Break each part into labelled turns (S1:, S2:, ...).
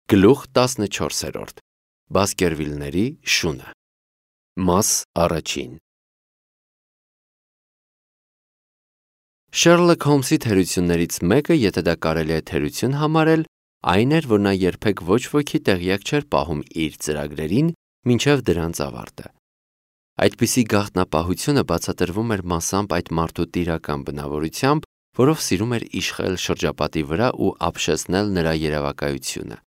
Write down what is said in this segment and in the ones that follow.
S1: Գլուխ 14. Բասկերվիլների շունը։ Մաս առաջին։ Շերլոք Հոլմսի թերություններից մեկը, եթե դա կարելի է թերություն համարել, այն էր, որ նա երբեք ոչ ոքի տեղյակ չէր պահում իր ծրագրերին մինչև դրանց ավարտը։ Այդպիսի գաղտնապահությունը բացատրվում էր մասամբ այդ մարդու տիրական բնավորությամբ, որով սիրում էր իշխել շրջապատի վրա ու ապշեցնել նրա երևակայությունը,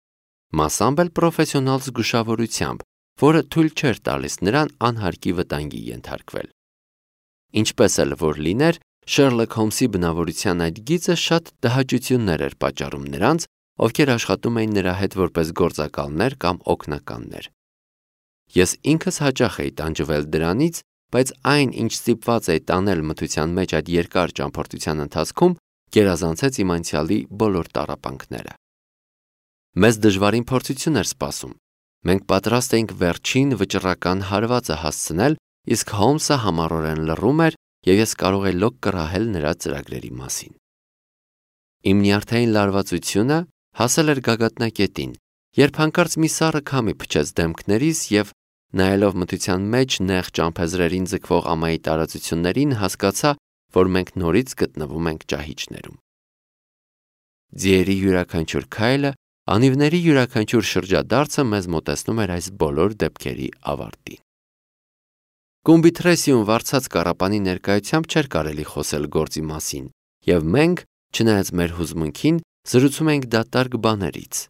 S1: մասամբ էլ պրոֆեսիոնալ զգուշավորությամբ, որը թույլ չէր տալիս նրան անհարկի վտանգի ենթարկվել։ Ինչպես էլ որ լիներ, Շերլոք Հոլմսի բնավորության այդ գիծը շատ տհաճություններ էր պատճառում նրանց, ովքեր աշխատում էին նրա հետ որպես գործակալներ կամ օգնականներ։ Ես ինքս հաճախ էի տանջվել դրանից, բայց այն, ինչ ստիպված էի տանել մթության մեջ այդ երկար ճամփորդության ընթացքում, գերազանցեց իմ անցյալի բոլոր տառապանքները։ Մեզ դժվարին փորձություն էր սպասում։ Մենք պատրաստ էինք վերջին վճռական հարվածը հասցնել, իսկ Հոլմսը համառորեն լռում էր, եւ ես կարող էի լոկ կռահել նրա ծրագրերի մասին։ Իմ նյարդային լարվածությունը հասել էր գագաթնակետին, երբ հանկարծ մի սառը քամի փչեց դեմքներիս եւ, նայելով մթության մեջ նեղ ճամփեզրերին ձգվող ամայի տարածություններին, հասկացա, որ մենք նորից գտնվում ենք ճահիճներում։ Ձիերի յուրաքանչյուր քայլը, անիվների յուրաքանչյուր շրջադարձը մեզ մոտեցնում էր այս բոլոր դեպքերի ավարտին։ Կումբիթրեսիում վարձած կառապանի ներկայությամբ չէր կարելի խոսել գործի մասին, եւ մենք, չնայած մեր հուզմունքին, զրուցում էինք դատարկ բաներից։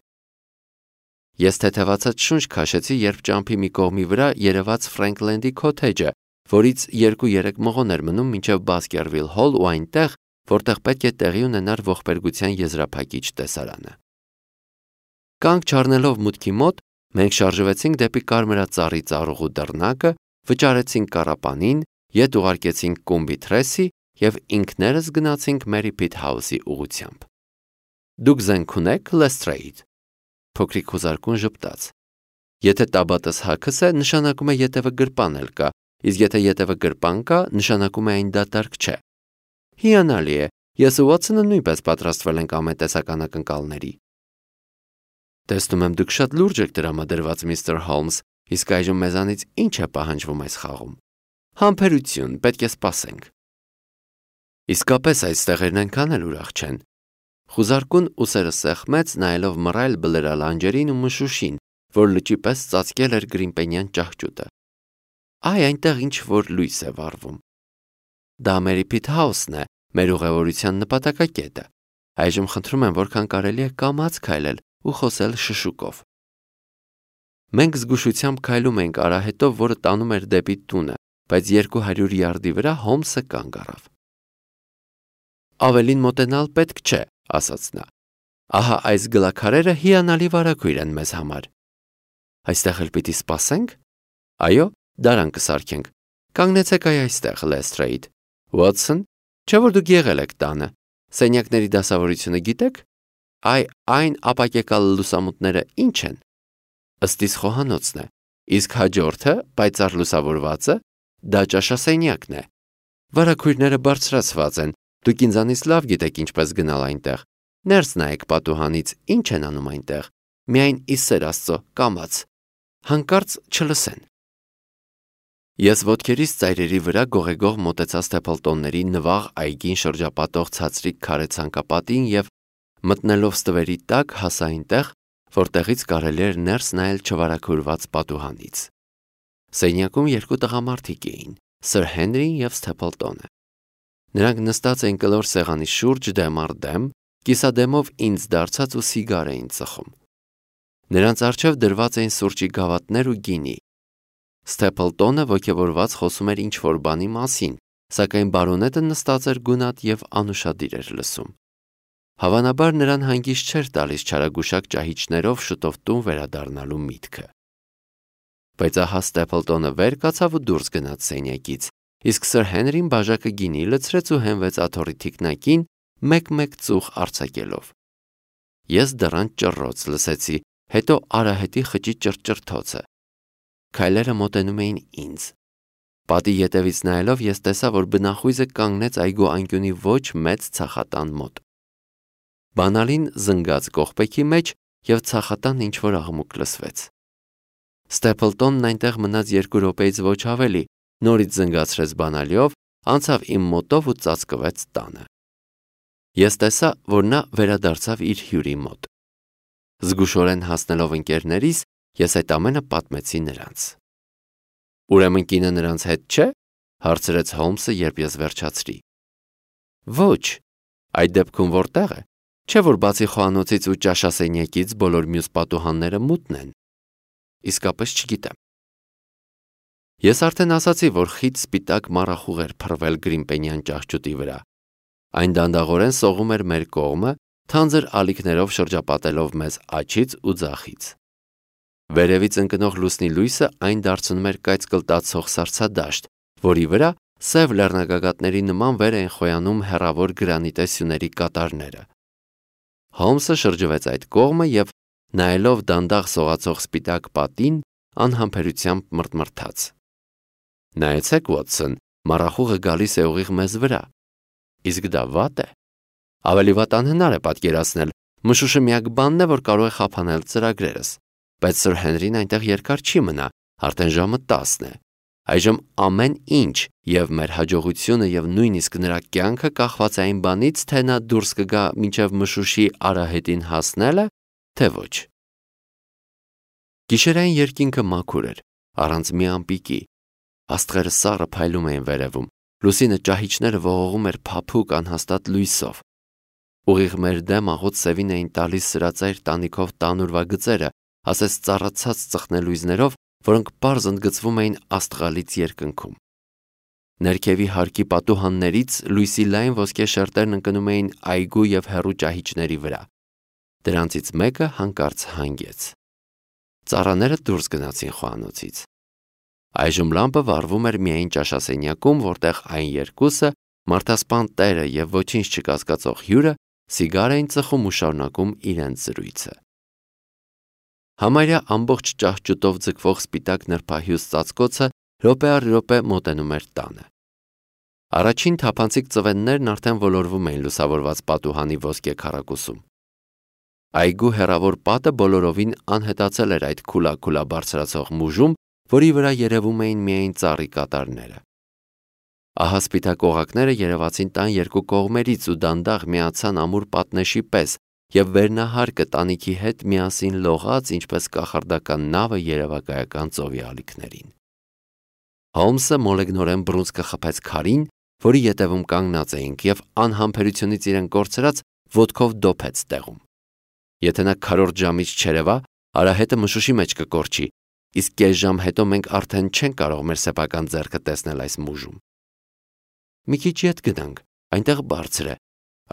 S1: Ես թեթևացած շունչ քաշեցի, երբ ճամփի մի կողմի վրա երևաց Ֆրենքլենդի քոթեջը, որից 2-3 մղոն էր մնում մինչև Բասկերվիլ հոլ ու այնտեղ, որտեղ պետք է տեղի ունենար ողբերգության եզրափակիչ տեսարանը։ Կանգ չառնելով մուտքի մոտ, մենք շարժվեցինք դեպի կարմրածառի ծառուղու դռնակը, վճարեցինք կառապանին, ետ ուղարկեցինք Կումբիթրեսի եւ ինքներս գնացինք Մերի Փիթ Հաուսի ուղղությամբ։ Դուք զենք ունեք, Լեսթրեյդ։ Փոքրիկ հուզարկուն ժպտաց։ Եթե տաբատս հագս է, նշանակում է ետևը գրպան էլ կա, իսկ եթե ետևը գրպան կա, նշանակում է այն դատարկ չէ։ Հիանալի է, ես ու Ուոթսոնը նույնպես պատրաստվել ենք ամեն տեսական ակնկալների։ Տեսնում եմ դուք շատ լուրջ եք տրամադրված, միստր Հոլմս, իսկ այժմ մեզանից ինչ է պահանջվում այս խաղում։ Համբերություն, պետք է սպասենք։ Իսկապես այս տեղերն այնքան էլ ուրախ չեն։ Խուզարկուն ուսերը սեղմեց, նայելով մռայլ բլրալանջերին ու մշուշին, որ լճի պես ծածկել էր գրիմպենյան ճահճուտը։ Այ այնտեղ ինչ որ լույս է վառվում։ Դա Մերի Փիթ Հաուսն է, մեր ուղևորության նպատակակետը։ Այժմ խնդրում եմ, որքան կարելի է կամաց քայլել ու խոսել շշուկով։ Մենք զգուշությամբ քայլում էինք արահետով, որը տանում էր դեպի տունը, բայց 200 յարդի վրա Հոլմսը կանգ առավ։ Ավելին մոտենալ պետք չէ, ասաց նա։ Ահա այս գլաքարերը հիանալի վարագույր են մեզ համար։ Այստեղ էլ պիտի սպասենք։ Այո, դարան կսարքենք։ Կանգնեցեք այստեղ, Լեսթրեյդ։ Ուոթսոն, չէ՞ որ դուք եղել եք տանը։ Սենյակների դասավորությունը գիտեք։ Այն ապակեկալ լուսամուտները ինչ են։ Ըստիս խոհանոցն է, իսկ հաջորդը, պայծառ լուսավորվածը, դա ճաշասենյակն է։ Վարագույրները բարձրացված են, դուք ինձանից լավ գիտեք ինչպես գնալ այնտեղ։ Ներս նայեք պատուհանից, ինչ են անում այնտեղ։ Միայն ի սեր Աստծո, կամաց։ Հանկարծ չլսեն։ Ես ոտքերիս ծայրերի վրա գողեգող մոտեցա Սթեփլտոնների նվաղ այգին շրջապատող ցածրիկ քարե ցանկապատին եւ մտնելով ստվերի տակ հասա այնտեղ, որտեղից կարելի էր ներս նայել չվարագուրված պատուհանից։ Սենյակում երկու տղամարդիկ էին՝ Սր Հենրին եւ Սթեփլտոնը։ Նրանք նստած էին կլոր սեղանի շուրջ դեմ առ դեմ, կիսադեմով ինձ դարձած ու սիգար էին ծխում։ Նրանց առջև դրված էին սուրճի գավաթներ ու գինի։ Սթեփլտոնը ոգևորված խոսում էր ինչ-որ բանի մասին, սակայն բարոնետը նստած էր գունատ եւ անուշադիր էր լսում։ Հավանաբար նրան հանգիստ չէր տալիս չարագուշակ ճահիճներով շուտով տուն վերադառնալու միտքը։ Բայց ահա Ստեփլտոնը վեր կացավ ու դուրս գնաց սենյակից, իսկ Սր Հենրին բաժակը գինի լցրեց ու հենվեց աթոռի թիկնակին, մեկ-մեկ ծուխ արձակելով։ Ես դռան ճռռոց լսեցի, հետո արահետի խճի ճռճռթոցը։ Քայլերը մոտենում էին ինձ։ Պատի ետևից նայելով ես տեսա, որ բնախույզը կանգնեց այգու անկյունի ոչ մեծ ցախատան մոտ։ Բանալին զնգաց կողպեքի մեջ և ցախատան ինչ-որ աղմուկ լսվեց։ Ստեփլտոնն այնտեղ մնաց 2 րոպեից ոչ ավելի, նորից զնգացրեց բանալիով, անցավ իմ մոտով ու ծածկվեց տանը։ Ես տեսա, որ նա վերադարձավ իր հյուրի մոտ։ Զգուշորեն հասնելով ընկերներիս, ես այդ ամենը պատմեցի նրանց։ Ուրեմն կինը նրանց հետ չէ՞, հարցրեց Հոլմսը, երբ ես վերջացրի։ Ոչ, այդ դեպքում որտեղ է։ Չէ՞ որ բացի խոհանոցից ու ճաշասենյակից բոլոր մյուս պատուհանները մութն են։ Իսկապես չգիտեմ։ Ես արդեն ասացի, որ խիտ սպիտակ մառախուղ էր փռվել գրիմպենյան ճահճուտի վրա։ Այն դանդաղորեն սողում էր մեր կողմը, թանձր ալիքներով շրջապատելով մեզ աջից ու ձախից։ Վերևից ընկնող լուսնի լույսը այն դարձնում էր կայծկլտացող սառցադաշտ, որի վրա սև լեռնագագաթների նման վեր էին խոյանում հեռավոր գրանիտե սյուների կատարները։ Հոլմսը շրջվեց այդ կողմը և, նայելով դանդաղ սողացող սպիտակ պատին, անհամբերությամբ մռթմռթաց։ Նայեցեք, Ուոտսոն, մառախուղը գալիս է ուղիղ մեզ վրա։ Իսկ դա վատ է։ Ավելի վատ անհնար է պատկերացնել, մշուշը միակ բանն է, որ կարող է խափանել ծրագրերս, բայց Սր Հենրին այնտեղ երկար չի մնա, արդեն ժամը 10 է։ Այժմ ամեն ինչ, և մեր հաջողությունը և նույնիսկ նրա կյանքը կախված է այն բանից, թե նա դուրս կգա մինչև մշուշի արահետին հասնելը, թե ոչ։ Գիշերային երկինքը մաքուր էր, առանց մի ամպիկի։ Աստղերը սառը փայլում էին վերևում, լուսինը ճահիճները ողողում էր փափուկ անհաստատ լույսով։ Ուղիղ մեր դեմ աղոտ սևին էին տալիս սրածայր տանիքով տանուրվա գծերը, ասես ծառացած ծխնելույզներով, որոնք պարզ ընդգծվում էին աստղալից երկնքում։ Ներքևի հարկի պատուհաններից լույսի լայն ոսկե շերտերն ընկնում էին այգու և հեռու ճահիճների վրա։ Դրանցից մեկը հանկարծ հանգեց։ Ծառաները դուրս գնացին խոհանոցից։ Այժմ լամպը վառվում էր միայն ճաշասենյակում, որտեղ այն երկուսը, մարդասպան տերը և ոչինչ չկասկածող հյուրը, սիգար էին ծխում ու շարունակում իրենց զրույցը։ Համարյա ամբողջ ճահճուտով ձգվող սպիտակ նրբահյուս ծածկոցը րոպե առ րոպե մոտենում էր տանը։ Առաջին թափանցիկ ծվեններն արդեն ոլորվում էին լուսավորված պատուհանի ոսկե քառակուսում։ Այգու հեռավոր պատը բոլորովին անհետացել էր այդ քուլա բարձրացող մուժում, որի վրա երևում էին միայն ծառի կատարները։ Ահա սպիտակ օղակները երևացին տան երկու կողմերից ու դանդաղ միացան ամուր պատնեշի պես, և վերնահարկը տանիքի հետ միասին լողաց, ինչպես կախարդական նավը երևակայական ծովի ալիքներին։ Հոլմսը մոլեգնորեն բռունցքը խփեց քարին, որի ետևում կանգնած էինք, և անհամբերությունից իրեն կորցրած ոտքով դոփեց տեղում։ Եթե նա քառորդ ժամից չերևա, արահետը մշուշի մեջ կկորչի, իսկ կես ժամ հետո մենք արդեն չենք կարող մեր սեփական ձեռքը տեսնել այս մուժում։ Մի քիչ ետ գնանք, այնտեղ բարձր է։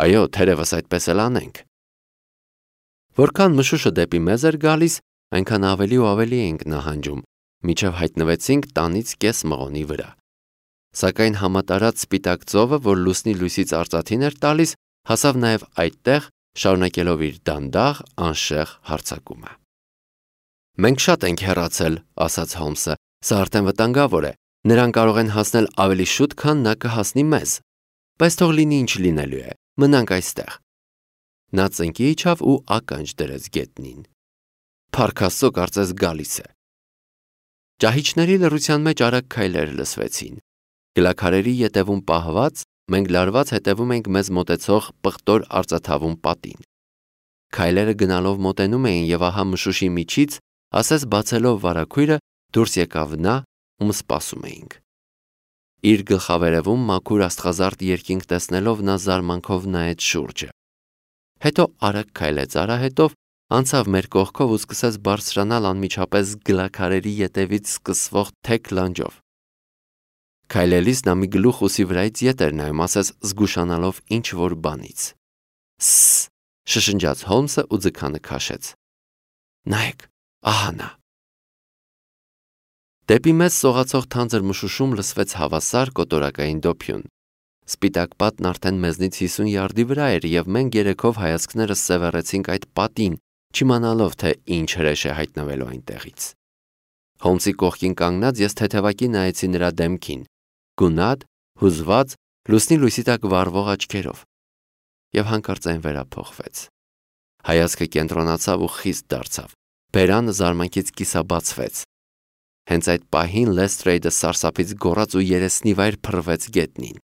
S1: Այո, թերևս այդպես էլ անենք։ Որքան մշուշը դեպի մեզ էր գալիս, այնքան ավելի ու ավելի էինք նահանջում, մինչև հայտնվեցինք տանից կես մղոնի վրա։ Սակայն համատարած սպիտակ ծովը, որ լուսնի լույսից արծաթին էր տալիս, հասավ նաև այդտեղ, շարունակելով իր դանդաղ, անշեղ հարձակումը։ Մենք շատ ենք հեռացել, ասաց Հոլմսը, սա արդեն վտանգավոր է։ Նրան կարող են հասնել ավելի շուտ, քան նա կհասնի մեզ։ Բայց թող լինի ինչ լինելու է, մնանք այստեղ։ Նա ծնկի իջավ ու ականջ դրեց գետնին։ Փառք Աստծո, կարծես գալիս է։ Ճահիճների լռության մեջ արագ քայլեր լսվեցին։ Գլաքարերի ետևում պահված, մենք լարված հետևում ենք մեզ մոտեցող պղտոր արծաթավուն պատին։ Քայլերը գնալով մոտենում էին, և ահա մշուշի միջից, ասես բացելով վարագույրը, դուրս եկավ նա, ում սպասում էինք։ Իր գլխավերևում մաքուր աստղազարդ երկինք տեսնելով նա զարմանքով նայեց շուրջը։ Հետո արագ քայլեց արահետով, անցավ մեր կողքով ու սկսեց բարձրանալ անմիջապես գլաքարերի ետևից սկսվող թեք լանջով։ Քայլելիս նա մի գլուխ ուսի վրայից ետ էր նայում, ասես զգուշանալով ինչ-որ բանից։ Սս, շշնջաց Հոլմսը ու ձգանը քաշեց։ Նայեք, ահա նա։ Դեպի մեզ սողացող թանձր մշուշում լսվեց հավասար կոտորակային դոփյուն։ Սպիտակ պատն արդեն մեզնից 50 յարդի վրա էր, և մենք երեքով հայացքներս սևեռեցինք այդ պատին, չիմանալով, թե ինչ հրեշ է հայտնվելու այնտեղից։ Հոլմսի կողքին կանգնած ես թեթևակի նայեցի նրա դեմքին, գունատ, հուզված, լուսնի լույսի տակ վառվող աչքերով, և հանկարծ այն վերափոխվեց։ Հայացքը կենտրոնացավ ու խիստ դարձավ։ Բերանը զարմանքից կիսաբացվեց։ Հենց այդ պահին Լեստրեյդը սարսափից գոռաց ու երեսնիվայր փռվեց գետնին։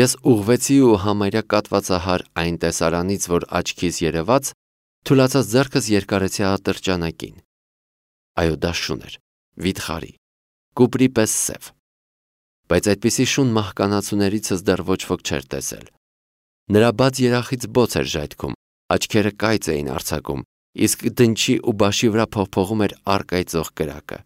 S1: Ես ուղղվեցի ու համարյա կատվածահար այն տեսարանից, որ աչքիս երևաց, թուլացած ձեռքս երկարեցի ատրճանակին։ Այո, դա շուն էր, վիթխարի, կուպրի պես սև։ Բայց այդպիսի շուն մահկանացուներիցս դեռ ոչ ոք չէր տեսել։ Նրա բաց երախից բոց էր ժայթքում, աչքերը կայծ էին արձակում, իսկ դնչի ու բաշի վրա փողփողում էր առկայծող կրակը։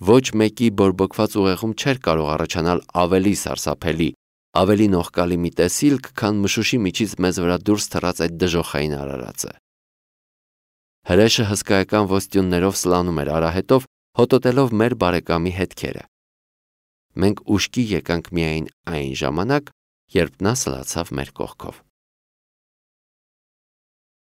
S1: Ոչ մեկի բորբոքված ուղեղում չէր կարող առաջանալ ավելի սարսափելի, ավելի նողկալի մի տեսիլք, քան մշուշի միջից մեզ վրա դուրս թռած այդ դժոխային արարածը։ Հրեշը հսկայական ոստյուններով սլանում էր արահետով, հոտոտելով մեր բարեկամի հետքերը։ Մենք ուշքի եկանք միայն այն ժամանակ, երբ նա սլացավ մեր կողքով։